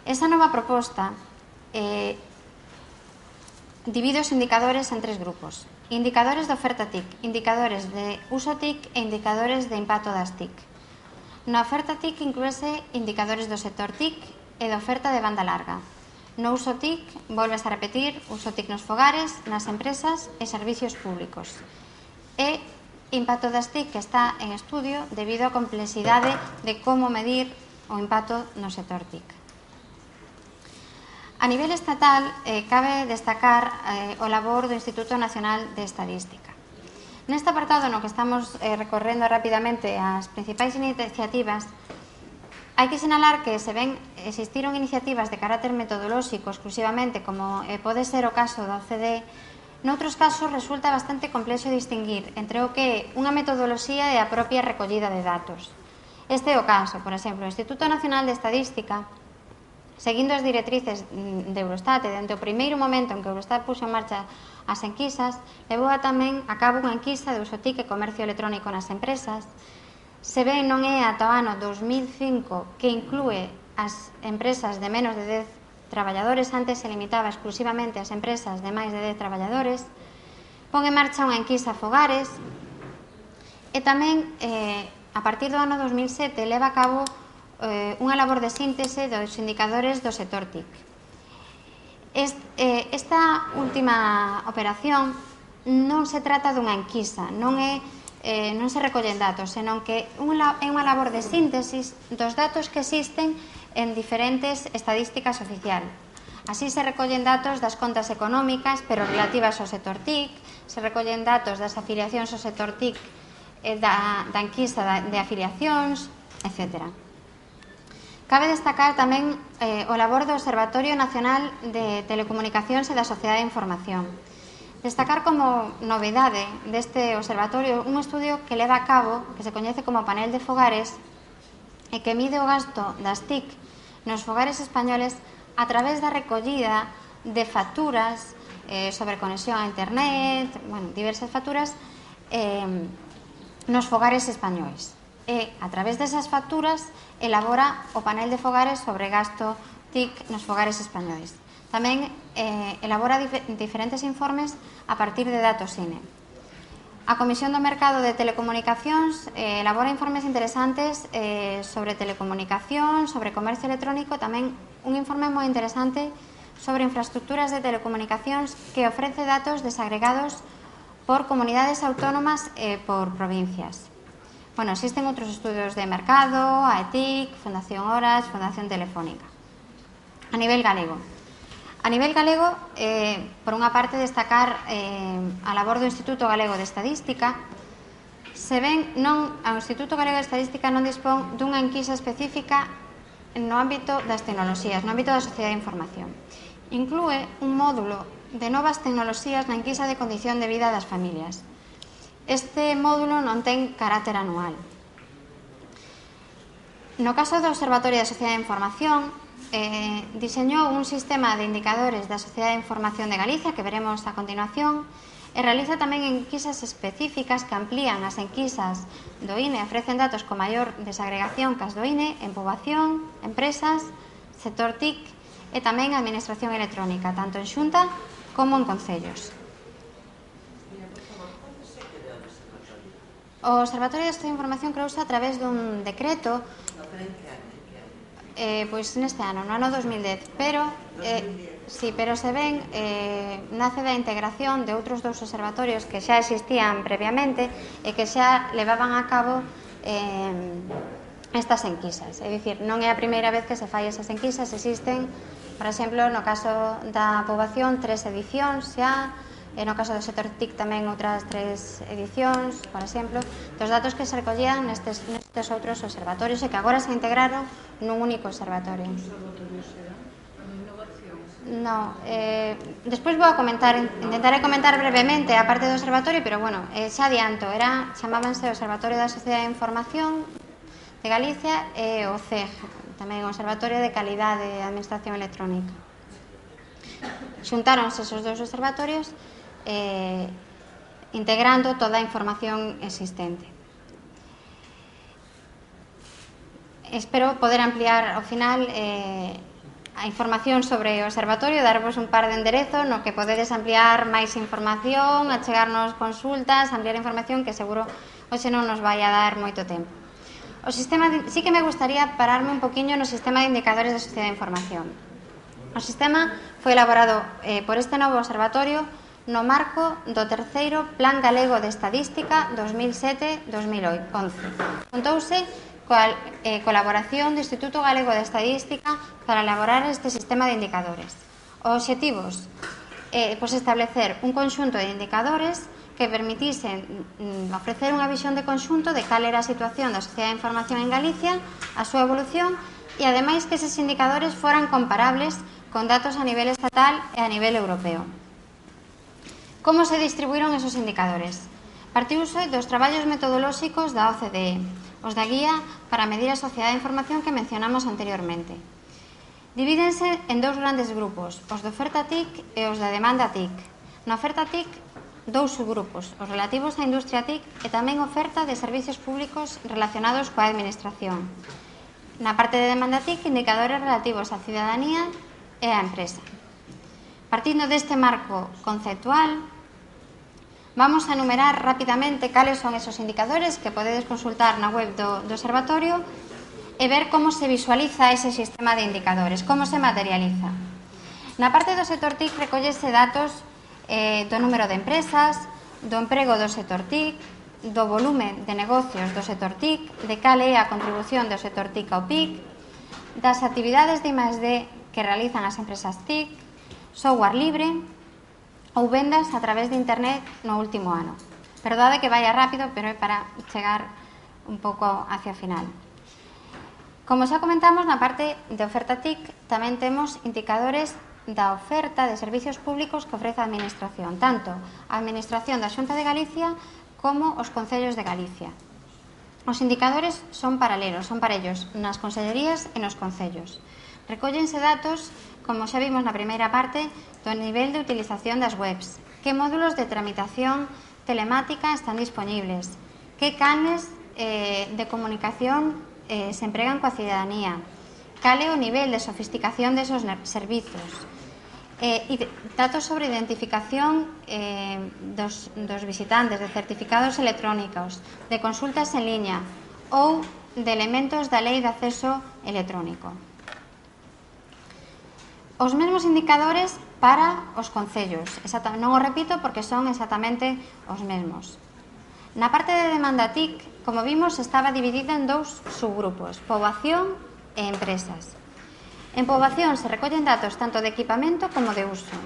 Esa nova proposta eh, divide os indicadores en tres grupos. Indicadores de oferta T I C, indicadores de uso T I C e indicadores de impacto das T I C. Na oferta T I C inclúese indicadores do sector T I C e de oferta de banda larga. No uso T I C, volves a repetir, uso T I C nos fogares, nas empresas e servicios públicos. E impacto das T I C que está en estudio debido á complexidade de como medir o impacto no sector T I C. A nivel estatal, eh, cabe destacar eh, o labor do Instituto Nacional de Estadística. Neste apartado no que estamos eh, recorrendo rapidamente as principais iniciativas, hai que sinalar que se ven existiron iniciativas de carácter metodolóxico exclusivamente, como eh, pode ser o caso da O C D E, noutros casos resulta bastante complexo distinguir entre o que é unha metodoloxía e a propia recollida de datos. Este é o caso, por exemplo, o Instituto Nacional de Estadística, seguindo as directrices de Eurostat e dende o primeiro momento en que Eurostat puxo en marcha as enquisas, levou a tamén a cabo unha enquisa de uso T I C e comercio electrónico nas empresas. Se ben non é ata o ano dos mil cinco que inclúe as empresas de menos de dez traballadores, antes se limitaba exclusivamente ás empresas de máis de dez traballadores, pon en marcha unha enquisa a fogares e tamén, eh, a partir do ano dos mil sete, leva a cabo unha labor de síntese dos indicadores do sector T I C. Esta última operación non se trata dunha enquisa, non é non se recollen datos, senón que é unha labor de síntesis dos datos que existen en diferentes estadísticas oficial. Así se recollen datos das contas económicas, pero relativas ao sector T I C, se recollen datos das afiliacións ao sector T I C, da enquisa de afiliacións, etcétera. Cabe destacar tamén eh, o labor do Observatorio Nacional de Telecomunicacións e da Sociedade de Información. Destacar como novedade deste observatorio un estudio que leva a cabo, que se coñece como Panel de Fogares, e que mide o gasto das T I C nos fogares españoles a través da recollida de facturas eh, sobre conexión a Internet, bueno, diversas facturas eh, nos fogares españois. E, a través desas facturas, elabora o panel de fogares sobre gasto T I C nos fogares españois. Tamén eh, elabora dif diferentes informes a partir de datos I N E. A Comisión do Mercado de Telecomunicacións eh, elabora informes interesantes eh, sobre telecomunicación, sobre comercio electrónico, tamén un informe moi interesante sobre infraestructuras de telecomunicacións que ofrece datos desagregados por comunidades autónomas e por provincias. Bueno, existen outros estudios de mercado, a E T I C, Fundación Horas, Fundación Telefónica. A nivel galego. A nivel galego, eh, por unha parte, destacar eh, a labor do Instituto Galego de Estadística. Se ven, non, o Instituto Galego de Estadística non dispón dunha enquisa específica no ámbito das tecnoloxías, no ámbito da sociedade de información. Inclúe un módulo de novas tecnoloxías na enquisa de condición de vida das familias. Este módulo non ten carácter anual. No caso do Observatorio da Sociedade de Información, eh, diseñou un sistema de indicadores da Sociedade de Información de Galicia, que veremos a continuación, e realiza tamén enquisas específicas que amplían as enquisas do I N E, ofrecen datos con maior desagregación que as do I N E en poboación, empresas, sector T I C e tamén administración electrónica, tanto en xunta como en concellos. O Observatorio da Sociedade de Información creouse a través dun decreto eh, pois neste ano, no ano dos mil dez, pero eh, sí, pero se ven eh, nace da integración de outros dous observatorios que xa existían previamente e que xa levaban a cabo eh, estas enquisas. É dicir, non é a primeira vez que se fai esas enquisas, existen, por exemplo, no caso da poboación, tres edicións xa, e no caso do sector T I C tamén outras tres edicións, por exemplo, dos datos que se recollían nestes, nestes outros observatorios e que agora se integraron nun único observatorio. No, eh, despois vou a comentar, intentaré comentar brevemente a parte do observatorio, pero bueno, eh, xa adianto, era, chamábanse Observatorio da Sociedade de Información de Galicia e o C E G, tamén o Observatorio de Calidade de Administración Electrónica. Xuntáronse esos dous observatorios eh, integrando toda a información existente. Espero poder ampliar ao final eh, a información sobre o observatorio, darvos un par de enderezos no que podedes ampliar máis información, achegarnos consultas, ampliar información que seguro hoxe non nos vai a dar moito tempo. O sistema de, sí que me gustaría pararme un poquinho no sistema de indicadores da sociedade de información. O sistema foi elaborado eh, por este novo observatorio no marco do terceiro Plan Galego de Estadística dos mil sete a dos mil once. Contouse coa eh, colaboración do Instituto Galego de Estadística para elaborar este sistema de indicadores. Os obxectivos, eh, pois establecer un conxunto de indicadores que permitisen mm, ofrecer unha visión de conxunto de cal era a situación da sociedade de información en Galicia, a súa evolución e, ademais, que eses indicadores foran comparables con datos a nivel estatal e a nivel europeo. Como se distribuíron esos indicadores? Partiuse dos traballos metodolóxicos da O C D E, os da Guía para medir a sociedade de información que mencionamos anteriormente. Divídense en dous grandes grupos, os de oferta T I C e os da demanda T I C. Na oferta T I C, dous subgrupos, os relativos á industria T I C e tamén oferta de servicios públicos relacionados coa administración. Na parte de demanda T I C, indicadores relativos á cidadanía e á empresa. Partindo deste marco conceptual, vamos a enumerar rapidamente cales son esos indicadores que podedes consultar na web do, do observatorio e ver como se visualiza ese sistema de indicadores, como se materializa. Na parte do sector T I C recollese datos eh, do número de empresas, do emprego do sector T I C, do volume de negocios do sector T I C, de cal é a contribución do sector T I C ao P I C, das actividades de I más D que realizan as empresas T I C, software libre ou vendas a través de internet no último ano. Perdade que vaya rápido, pero é para chegar un pouco hacia o final. Como xa comentamos, na parte de oferta T I C tamén temos indicadores da oferta de servicios públicos que ofrece a Administración, tanto a Administración da Xunta de Galicia como os Concellos de Galicia. Os indicadores son paralelos, son parellos nas consellerías e nos concellos. Recóllense datos, como xa vimos na primeira parte, do nivel de utilización das webs, que módulos de tramitación telemática están disponibles, que canles eh, de comunicación eh, se empregan coa cidadanía, cal é o nivel de sofisticación desos servizos, eh, e datos sobre identificación eh, dos, dos visitantes, de certificados electrónicos, de consultas en liña ou de elementos da Lei de Acceso Electrónico. Os mesmos indicadores para os concellos, non o repito porque son exactamente os mesmos. Na parte de demanda T I C, como vimos, estaba dividida en dous subgrupos, poboación e empresas. En poboación se recollen datos tanto de equipamento como de uso.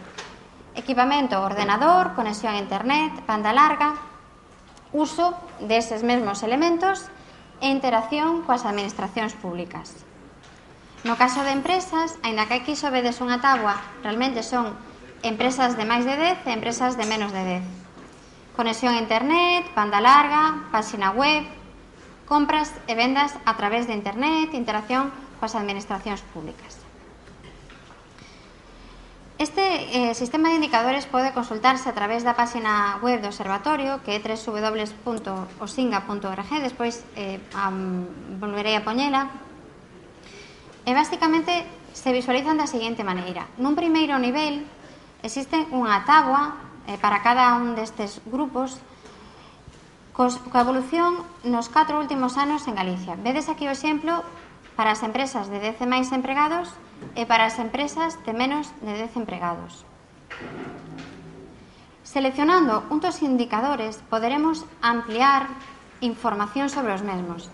Equipamento, ordenador, conexión a internet, banda larga, uso deses mesmos elementos e interacción coas administracións públicas. No caso de empresas, aínda que aquí só vedes unha táboa, realmente son empresas de máis de dez e empresas de menos de dez. Conexión a internet, banda larga, páxina web, compras e vendas a través de internet, interacción coas administracións públicas. Este eh, sistema de indicadores pode consultarse a través da páxina web do Observatorio, que é w w w punto osinga punto org, despois eh, um, volverei a poñela. E, basicamente, se visualizan da seguinte maneira. Nun primeiro nivel, existe unha táboa eh, para cada un destes grupos cos, coa evolución nos catro últimos anos en Galicia. Vedes aquí o exemplo para as empresas de dez e máis empregados e para as empresas de menos de dez empregados. Seleccionando un dos indicadores, poderemos ampliar información sobre os mesmos.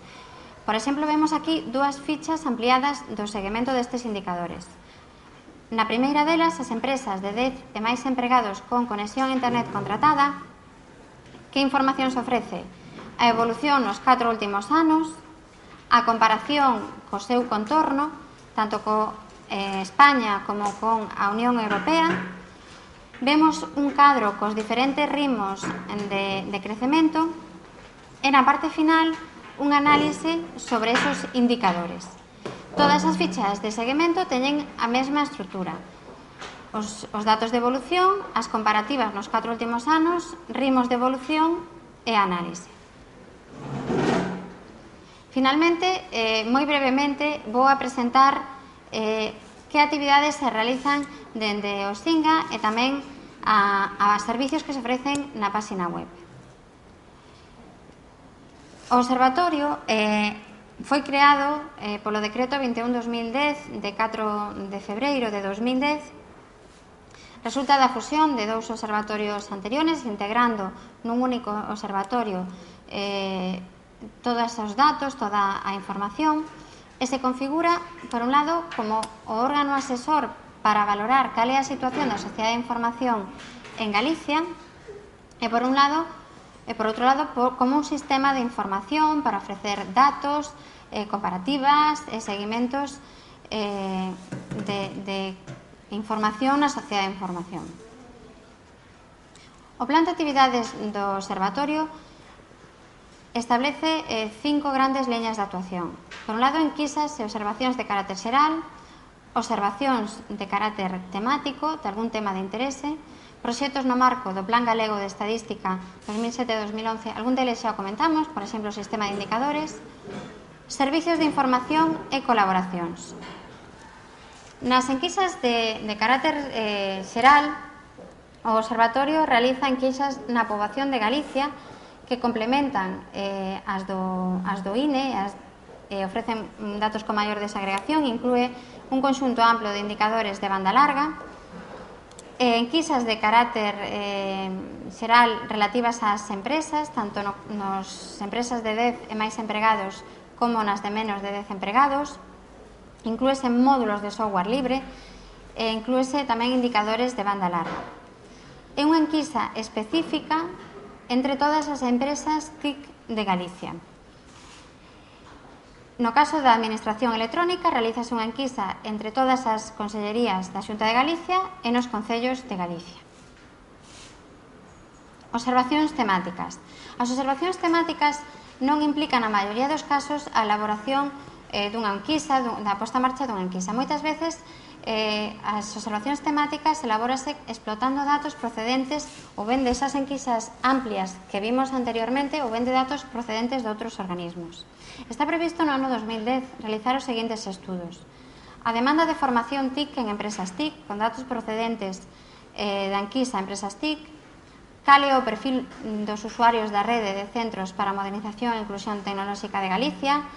Por exemplo, vemos aquí dúas fichas ampliadas do seguimento destes indicadores. Na primeira delas, as empresas de dez e máis empregados con conexión a internet contratada, que información se ofrece? A evolución nos catro últimos anos, a comparación co seu contorno, tanto co eh, España como con a Unión Europea. Vemos un cadro cos diferentes ritmos de, de crecemento e na parte final un análise sobre esos indicadores. Todas as fichas de seguimento teñen a mesma estrutura. Os, os datos de evolución, as comparativas nos catro últimos anos, ritmos de evolución e análise. Finalmente, eh, moi brevemente, vou a presentar eh, que actividades se realizan dende o Osinga e tamén a, a servicios que se ofrecen na página web. O Observatorio eh, foi creado eh, polo Decreto vinte e un barra dos mil dez de catro de febreiro de dos mil dez. Resulta da fusión de dous observatorios anteriores, integrando nun único observatorio eh, todos os datos, toda a información, e se configura, por un lado, como o órgano asesor para valorar cal é a situación da sociedade de información en Galicia, e por un lado, e por outro lado, por, como un sistema de información para ofrecer datos, eh, comparativas e seguimentos eh, de, de información na sociedade de información. O plan de actividades do Observatorio establece eh, cinco grandes liñas de actuación. Por un lado, enquisas e observacións de carácter xeral, observacións de carácter temático, de algún tema de interese, proxectos no marco do Plan Galego de Estadística dos mil sete a dos mil once, algún deles xa o comentamos, por exemplo, o sistema de indicadores, servicios de información e colaboracións. Nas enquisas de, de carácter eh, xeral, o Observatorio realiza enquisas na poboación de Galicia que complementan eh, as, do, as do I N E, as, eh, ofrecen datos con maior desagregación, inclúe un conxunto amplo de indicadores de banda larga, eh, enquisas de carácter eh, xeral relativas ás empresas, tanto no, nos empresas de dez e máis empregados como nas de menos de dez empregados, inclúese módulos de software libre e inclúese tamén indicadores de banda larga. É unha enquisa específica entre todas as empresas T I C de Galicia. No caso da Administración Electrónica, realizase unha enquisa entre todas as consellerías da Xunta de Galicia e nos concellos de Galicia. Observacións temáticas. As observacións temáticas non implican, na maioría dos casos, a elaboración eh, dunha enquisa, da posta en marcha dunha enquisa. Moitas veces, Eh, as observacións temáticas elabórase explotando datos procedentes ou ben desas enquisas amplias que vimos anteriormente ou ben de datos procedentes de outros organismos. Está previsto no ano dos mil dez realizar os seguintes estudos. A demanda de formación T I C en empresas T I C con datos procedentes eh, da enquisa empresas T I C, cal é o perfil dos usuarios da rede de centros para a modernización e inclusión tecnolóxica de Galicia,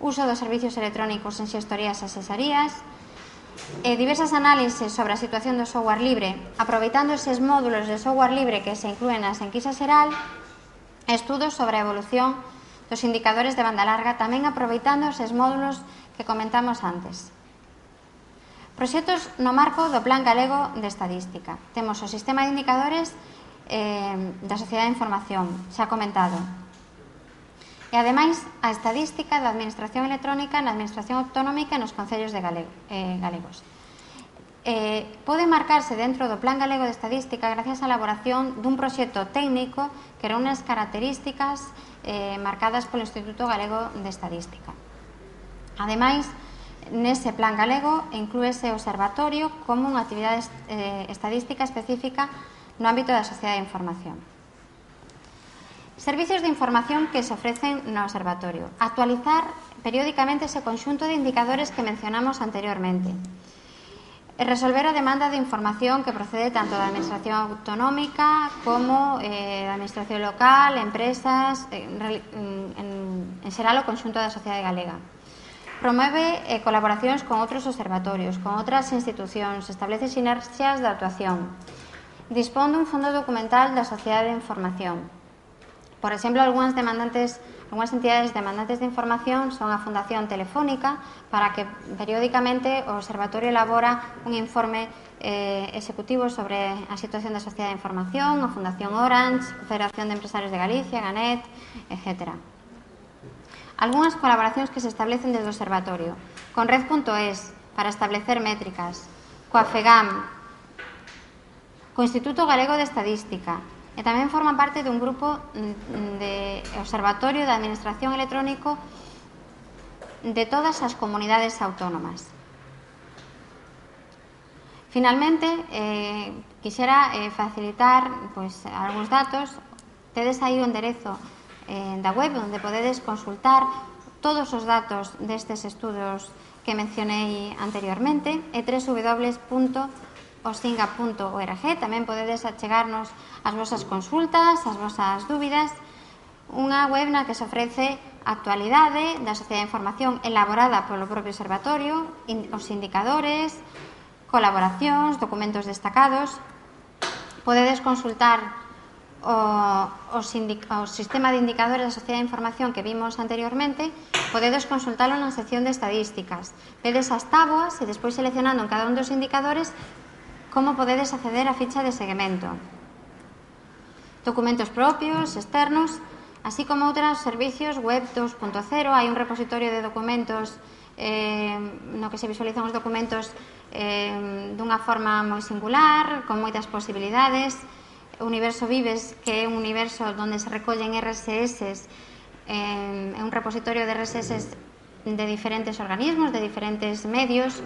uso dos servicios electrónicos en xestorías e asesorías, Eh, diversas análises sobre a situación do software libre, aproveitando eses módulos de software libre que se inclúen nas enquisas xeral, estudos sobre a evolución dos indicadores de banda larga, tamén aproveitando eses módulos que comentamos antes. Proxectos no marco do Plan Galego de Estadística. Temos o sistema de indicadores eh, da Sociedade de Información, xa comentado. E, ademais, a estadística da Administración Electrónica na Administración Autonómica e nos concellos de galego, eh, galegos. Eh, pode marcarse dentro do Plan Galego de Estadística gracias á elaboración dun proxecto técnico que reúne as características eh, marcadas polo Instituto Galego de Estadística. Ademais, nese Plan Galego inclúese o observatorio como unha actividade eh, estadística específica no ámbito da Sociedade de Información. Servicios de información que se ofrecen no observatorio. Actualizar periódicamente ese conxunto de indicadores que mencionamos anteriormente. E resolver a demanda de información que procede tanto da Administración Autonómica como eh, da Administración Local, empresas, en, en, en xeral o conxunto da sociedade galega. Promove eh, colaboracións con outros observatorios, con outras institucións, establece sinerxias de actuación. Dispón dun fondo documental da Sociedade de Información. Por exemplo, algunhas demandantes Algúnas entidades demandantes de información son a Fundación Telefónica, para que periódicamente o Observatorio elabora un informe eh, executivo sobre a situación da Sociedade de Información, a Fundación Orange, a Federación de Empresarios de Galicia, Ganet, etcétera. Algúnas colaboracións que se establecen desde o Observatorio, con red punto es, para establecer métricas, coa FEGAM, co Instituto Galego de Estadística, e tamén forman parte dun grupo de observatorio da Administración Electrónico de todas as comunidades autónomas. Finalmente, eh, quixera eh, facilitar pois, algúns datos. Tedes aí o enderezo eh, da web onde podedes consultar todos os datos destes estudos que mencionei anteriormente, e w w w punto osinga punto org. Tamén podedes achegarnos as vosas consultas, as vosas dúbidas. Unha web na que se ofrece a actualidade da Sociedade de Información elaborada polo propio observatorio, os indicadores, colaboracións, documentos destacados. Podedes consultar o, o, o sistema de indicadores da Sociedade de Información que vimos anteriormente. Podedes consultalo na sección de estadísticas. Vedes as táboas e despois seleccionando en cada un dos indicadores como podedes acceder á ficha de seguimento. Documentos propios, externos, así como outros servicios web dos punto cero. Hai un repositorio de documentos eh, no que se visualizan os documentos eh, dunha forma moi singular, con moitas posibilidades. O Universo Vives, que é un universo onde se recollen R S S, eh, é un repositorio de R S S de diferentes organismos, de diferentes medios.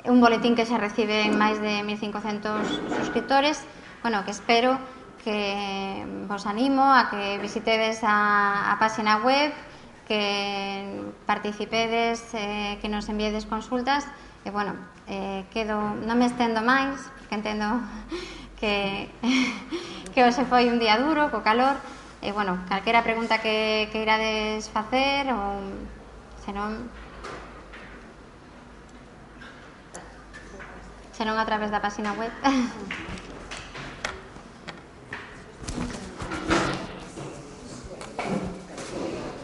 É un boletín que se recibe en máis de mil cincocentos suscriptores. Bueno, que espero que vos animo a que visitedes a, a página web, que participedes, eh, que nos enviedes consultas. E, bueno, eh, quedo, non me estendo máis, porque entendo que, que hoxe foi un día duro, co calor. E, bueno, calquera pregunta que, que irades facer, ou senón... senón a través da página web.